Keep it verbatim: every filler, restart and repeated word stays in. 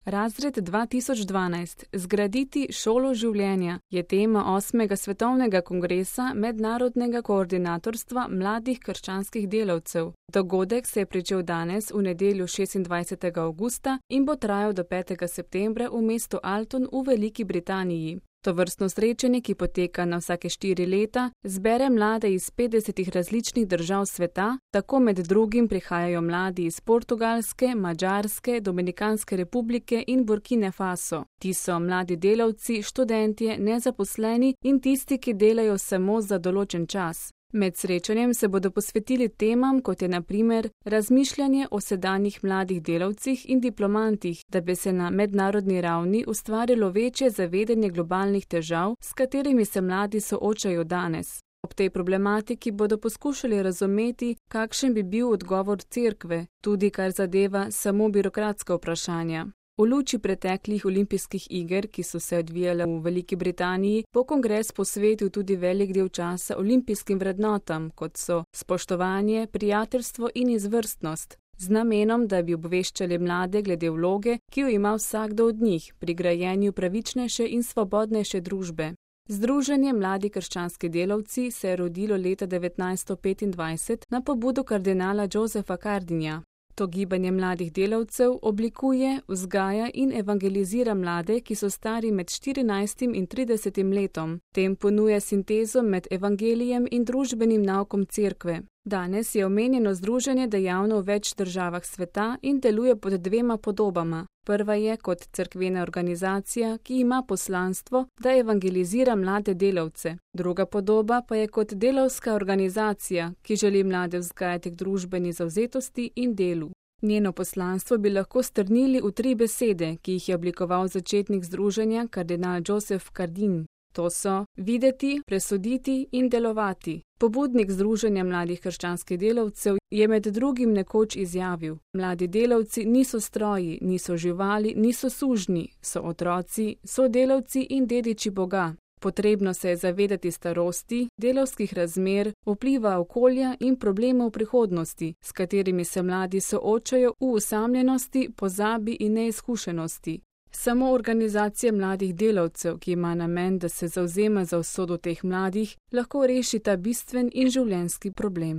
Razred dva tisoč dvanajst. Zgraditi šolo življenja je tema osmega svetovnega kongresa Mednarodnega koordinatorstva mladih krščanskih delavcev. Dogodek se je pričel danes v nedeljo šestindvajsetega avgusta in bo trajal do petega septembra v mestu Alton v Veliki Britaniji. Tovrstno srečanje, ki poteka na vsake štiri leta, zbere mlade iz petdesetih različnih držav sveta, tako med drugim prihajajo mladi iz Portugalske, Madžarske, Dominikanske republike in Burkine Faso. Ti so mladi delavci, študentje, nezaposleni in tisti, ki delajo samo za določen čas. Med srečanjem se bodo posvetili temam, kot je na primer razmišljanje o sedanjih mladih delavcih in diplomantih, da bi se na mednarodni ravni ustvarilo večje zavedanje globalnih težav, s katerimi se mladi soočajo danes. Ob tej problematiki bodo poskušali razumeti, kakšen bi bil odgovor cerkve, tudi kar zadeva samo birokratska vprašanja. V luči preteklih olimpijskih iger, ki so se odvijale v Veliki Britaniji, bo kongres posvetil tudi velik del časa olimpijskim vrednotam, kot so spoštovanje, prijateljstvo in izvrstnost, z namenom, da bi obveščali mlade glede vloge, ki jo ima vsakdo od njih pri grajenju pravičnejše in svobodnejše družbe. Združenje Mladi krščanski delavci se je rodilo leta devetnajststo petindvajset na pobudo kardinala Josepha Cardinja. To gibanje mladih delavcev oblikuje, vzgaja in evangelizira mlade, ki so stari med štirinajstim in tridesetim letom. Tem ponuja sintezo med evangelijem in družbenim naukom cerkve. Danes je omenjeno združenje dejavno v več državah sveta in deluje pod dvema podobama. Prva je kot cerkvena organizacija, ki ima poslanstvo, da evangelizira mlade delavce. Druga podoba pa je kot delavska organizacija, ki želi mlade vzgajati k družbeni zavzetosti in delu. Njeno poslanstvo bi lahko strnili v tri besede, ki jih je oblikoval začetnik združenja kardinal Joseph Cardin. To so videti, presoditi in delovati. Pobudnik Združenja mladih krščanskih delavcev je med drugim nekoč izjavil: mladi delavci niso stroji, niso živali, niso sužnji, so otroci, so delavci in dediči Boga. Potrebno se je zavedati starosti, delavskih razmer, vpliva okolja in problemov prihodnosti, s katerimi se mladi soočajo v osamljenosti, pozabi in neizkušenosti. Samo organizacija mladih delavcev, ki ima namen, da se zavzema za usodo teh mladih, lahko reši ta bistven in življenjski problem.